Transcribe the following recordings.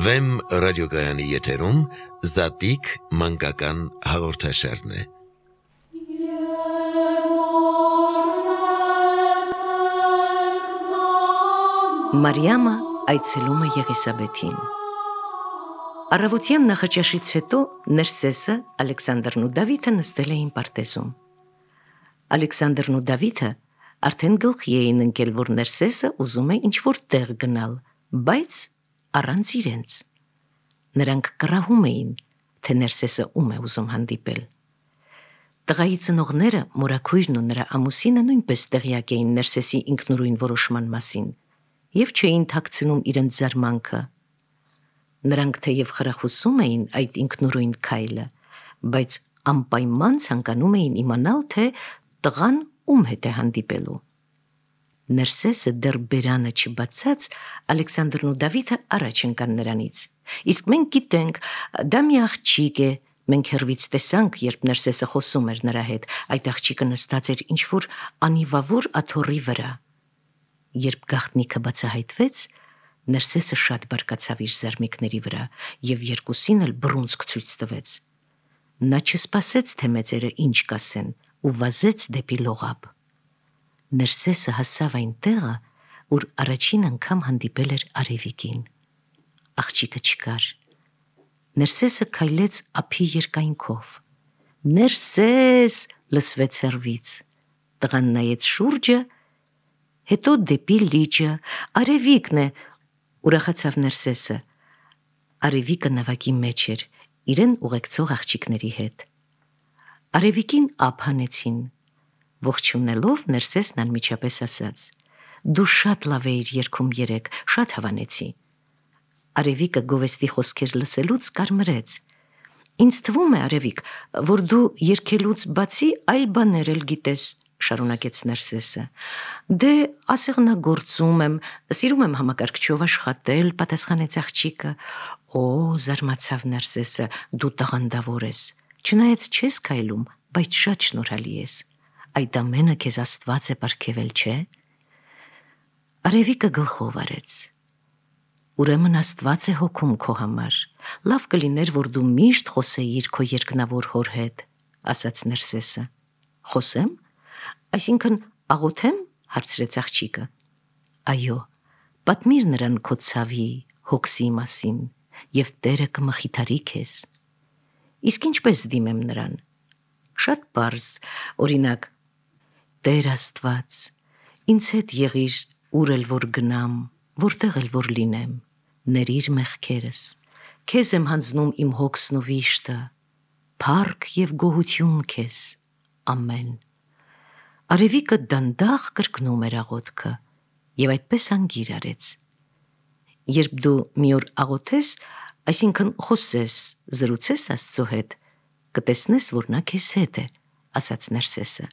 Վեմ ռադիոգայանի եթերում Զատիկ մանկական հաղորդաշարն է։ Մարիամը այցելում է Եղիսաբեթին։ Առավոտյան նախաճաշից հետո Ներսեսը, Ալեքսանդրն ու Դավիթը նստել էին պարտեզում։ Ալեքսանդրն ու Դավիթը արդեն գլխի էին ընկել, որ Ներսեսը ուզում է ինչ-որ տեղ գնալ, բայց առանց իրենց։ Նրանք կռահում էին, թե Ներսեսը ում է ուզում հանդիպել։ Տղայի ծնողները, մորաքույրն ու նրա ամուսինը նույնպես տեղյակ էին Ներսեսի ինքնուրույն որոշման մասին և չէին թաքցնում իրենց զարմանքը։ Նրանք թեև խրախուսում էին այդ ինքնուրույն քայլը, բայց անպայման ցանկանում էին իմանալ, թե տղան ում հետ է հանդիպելու։ Ներսեսը դեռ բերանը չբացած, Ալեքսանդրն ու Դավիթը առաջ ընկան նրանից։ Իսկ մենք գիտենք, դա մի աղջիկ է, մենք հեռվից տեսանք, երբ Ներսեսը խոսում էր նրա հետ, այդ աղջիկը նստած էր ինչ-որ անիվավոր աթոռի վրա։ Երբ գաղտնիքը բացահայտվեց, Ներսեսը շատ բարկացավ իր զարմիկների վրա և երկուսին էլ բռունցք ցույց տվեց։ Նա չսպասեց, թե մեծերը ինչ կասեն, ու վազեց դեպի լողափ։ Ներսեսը հասավ այն տեղը, ուր առաջին անգամ հանդիպել էր Արևիկին։ Աղջիկը չկար։ Ներսեսը քայլեց ափի երկայնքով։ «Ներսես!» լսվեց հեռվից։ Տղան նայեց շուրջը, հետո դեպի լիճը։ «Արևիկն է», ուրախացավ Ներսեսը։ Արևիկը նավակի մեջ էր, իրեն ուղեկցող աղջիկների հետ։ Արևիկին ափ հանեցին։ Ողջունելով, Ներսեսն անմիջապես ասաց. «Դու շատ լավ էիր երգում երեկ, շատ հավանեցի»։ Արևիկը գովեստի խոսքեր լսելուց կարմրեց։ «Ինձ թվում է, Արևիկ, որ դու երգելուց բացի այլ բաներ էլ գիտես», շարունակեց Ներսեսը։ «Դե ասեղնագործում եմ, սիրում եմ համակարգչով աշխատել», պատասխանեց աղջիկը։ «Օ», զարմացավ Ներսեսը, «դու տաղանդավոր ես, չնայած չես քայլում, բայց շատ շնորհալի ես։ Այդ ամենը քեզ Աստված է պարգևել, չէ՞»։ Արևիկը գլխով արեց։ «Ուրեմն Աստված է հոգում քո համար։ Լավ կլիներ, որ դու միշտ խոսեիր քո երկնավոր հոր հետ», ասաց Ներսեսը։ «Խոսեմ, այսինքն աղոթեմ», հարցրեց աղջիկը։ «Այո, պատմիր նրան քո ցավի, հոգսի մասին, և Տերը կմխիթարի քեզ»։ «Իսկ ինչպես դիմեմ նրան»։ «Շատ պարզ, օրինակ, Տեր Աստված, ինձ հետ եղիր, ուր էլ որ գնամ, որտեղ էլ որ լինեմ, ներիր մեղքերս, քեզ եմ հանձնում իմ հոգսն ու վիշտը, փառք և գոհություն քեզ, ամեն»։ Արևիկը դանդաղ կրկնում էր աղոթքը և այդպես անգիր արեց։ «Երբ դու մի օր աղոթես, այսինքն խոսես, զրուցես Աստծո հետ, կտեսնես, որ նա քեզ հետ է», ասաց Ներսեսը։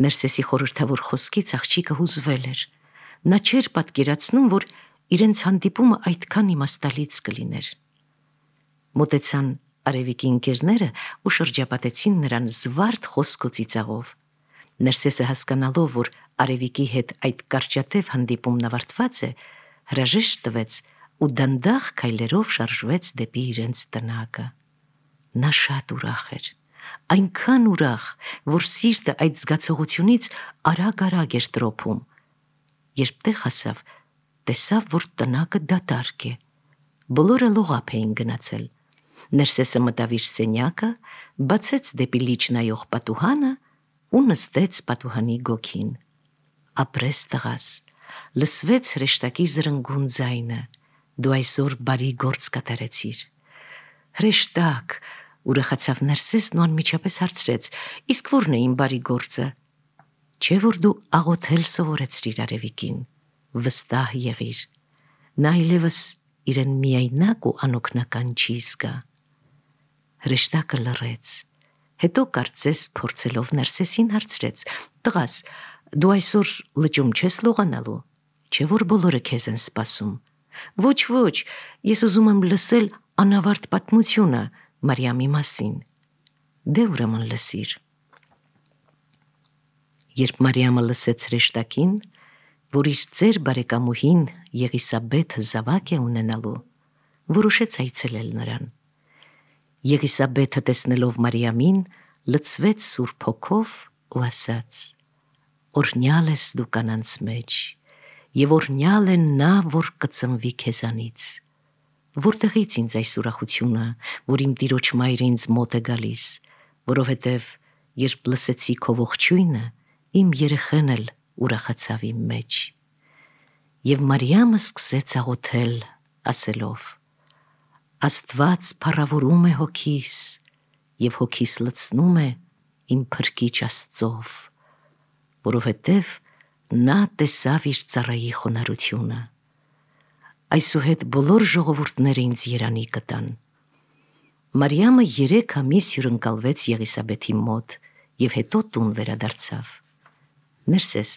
Ներսեսի խորհրդավոր խոսքից աղջիկը հուզվել էր։ Նա չէր պատկերացնում, որ իրենց հանդիպումը այդքան իմաստալից կլիներ։ Մոտեցան Արևիկի ընկերները ու շրջապատեցին նրան զվարթ խոսք ու ծիծաղով։ Ներսեսը հասկանալով, որ Արևիկի հետ այդ կարճատև հանդիպումն ավարտված է, հրաժեշտ տվեց ու դանդաղ քայլերով շարժվեց դեպի իրենց տնակը։ Նա շատ ուրախ էր, այնքան ուրախ, որ սիրտը այդ զգացողությունից արագ-արագ էր տրոփում։ Երբ տեղ հասավ, տեսավ, որ տնակը դատարկ է։ Բոլորը լողափ էին գնացել։ Ներսեսը մտավ իր սենյակը, բացեց դեպի լիճ նայող պատուհանը ու նստեց պատուհանի գոգին։ «Ապրես, տղաս», լսվեց հրեշտակի զրնգուն ձայնը, «դու այսօր բարի գործ կատարեցիր»։ «Հրեշտակ», ուրախացավ Ներսեսն ու անմիջապես հարցրեց. «Իսկ ո՞րն է իմ բարի գործը»։ «Չէ՞ որ դու աղոթել սովորեցրիր Արևիկին, վստահ եղիր, նա այլևս իրեն միայնակ ու անօգնական չի զգա»։ Հրեշտակը լռեց, հետո կարծես փորձելով Ներսեսին հարցրեց. «Տղաս, դու այսօր լճում չես լողանալու, չէ՞ որ բոլորը քեզ են սպասում»։ «Ոչ, ես ուզում եմ լսել անավարտ պատմությունը Մարիամի մասին»։ «Դե ուրեմն լսիր»։ Երբ Մարիամը լսեց, որ իր ծեր բարեկամուհին Եղիսաբեթը զավակ է ունենալու, որոշեց այցելել նրան։ Եղիսաբեթը տեսնելով Մարիամին, լցվեց Սուրբ Հոգով ու ասաց. «Օրհնյալ ես դու կանանց մեջ, եւ օրհնյալ է նա, որ կծնվի քեզանից։ Որտեղից ինձ այս ուրախությունը, որ իմ Տիրոջ մայրը ինձ մոտ է գալիս, որովհետև երբ լսեցի քո ողջույնը, իմ երեխեն էլ ուրախացավ իմ մեջ»։ Եվ Մարիամը սկսեց աղոթել, ասելով. «Աստված փառավորում է հոգիս, եւ հոգիս լցնում է իմ Փրկիչ Աստծով, որովհետև նա տեսավ իր ծառայի խոնարհությունը։ Այսուհետ բոլոր ժողովուրդները ինձ երանի կտան»։ Մարիամը 3 ամիս հյուրընկալվեց Եղիսաբեթի մոտ եւ հետո տուն վերադարձավ։ Ներսես,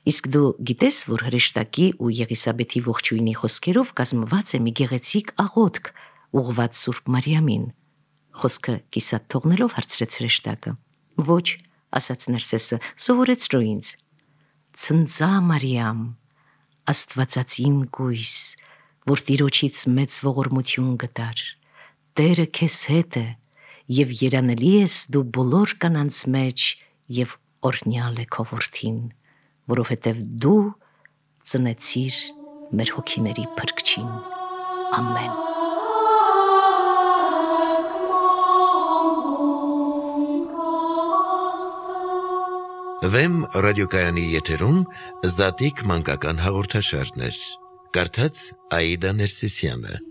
իսկ դու գիտես, որ հրեշտակի ու Եղիսաբեթի ողջույնի խոսքերով կազմված է մի գեղեցիկ աղոթք ուղղված Սուրբ Մարիամին։ Խոսքը կիսատ թողնելով հարցրեց հրեշտակը։ «Ոչ», ասաց Ներսեսը, «սովորեցրու ինձ»։ «Ցնծա Մարիամ, Աստվածածին գույս, որ Տիրոջից մեծ ողորմություն գտար, Տերը քեզ հետ է, եւ երանելի ես դու բոլոր կանանց մեջ, եւ օրհնյալ է քո որդին, որովհետև դու ծնեցիր մեր հոգիների Փրկչին։ Ամեն»։ Վեմ ռադիոկայանի եթերում Զատիկ մանկական հաղորդաշարներ։ Կարդաց Աիդա Ներսիսյանը։